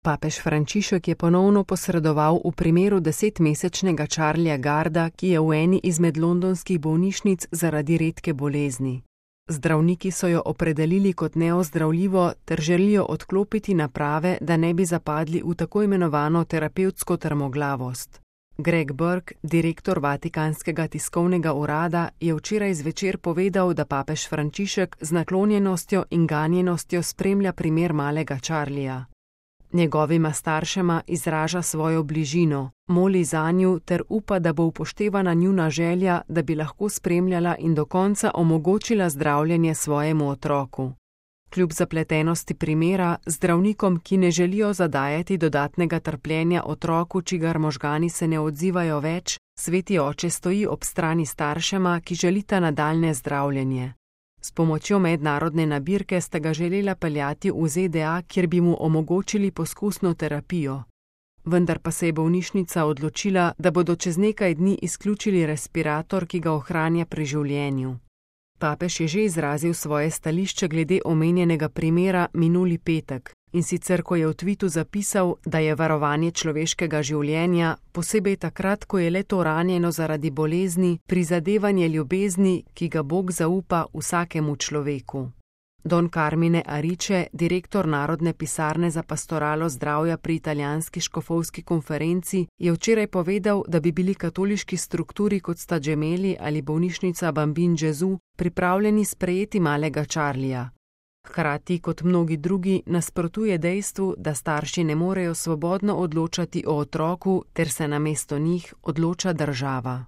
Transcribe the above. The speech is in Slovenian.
Papež Frančišek je ponovno posredoval v primeru 10-mesečnega Charlieja Garda, ki je v eni izmed londonskih bolnišnic zaradi redke bolezni. Zdravniki so jo opredelili kot neozdravljivo ter želijo odklopiti naprave, da ne bi zapadli v tako imenovano terapevtsko trmoglavost. Greg Burke, direktor Vatikanskega tiskovnega urada, je včeraj zvečer povedal, da papež Frančišek z naklonjenostjo in ganjenostjo spremlja primer malega Charlieja. Njegovima staršema izraža svojo bližino, moli zanju ter upa, da bo upoštevana njuna želja, da bi lahko spremljala in do konca omogočila zdravljenje svojemu otroku. Kljub zapletenosti primera, zdravnikom, ki ne želijo zadajati dodatnega trpljenja otroku, čigar možgani se ne odzivajo več, sveti oče stoji ob strani staršema, ki želita nadaljnje zdravljenje. S pomočjo mednarodne nabirke sta ga želela peljati v ZDA, kjer bi mu omogočili poskusno terapijo. Vendar pa se je bolnišnica odločila, da bodo čez nekaj dni izključili respirator, ki ga ohranja pri življenju. Papež je že izrazil svoje stališče glede omenjenega primera minuli petek, in sicer ko je v tvitu zapisal, da je varovanje človeškega življenja, posebej takrat, ko je le-to ranjeno zaradi bolezni, prizadevanje ljubezni, ki ga Bog zaupa vsakemu človeku. Don Carmine Arice, direktor Narodne pisarne za pastoralo zdravja pri italijanski škofovski konferenci, je včeraj povedal, da bi bili katoliški strukturi kot sta Gemelli ali bolnišnica Bambin Gesù pripravljeni sprejeti malega Charlieja. Hkrati, kot mnogi drugi, nasprotuje dejstvu, da starši ne morejo svobodno odločati o otroku ter se namesto njih odloča država.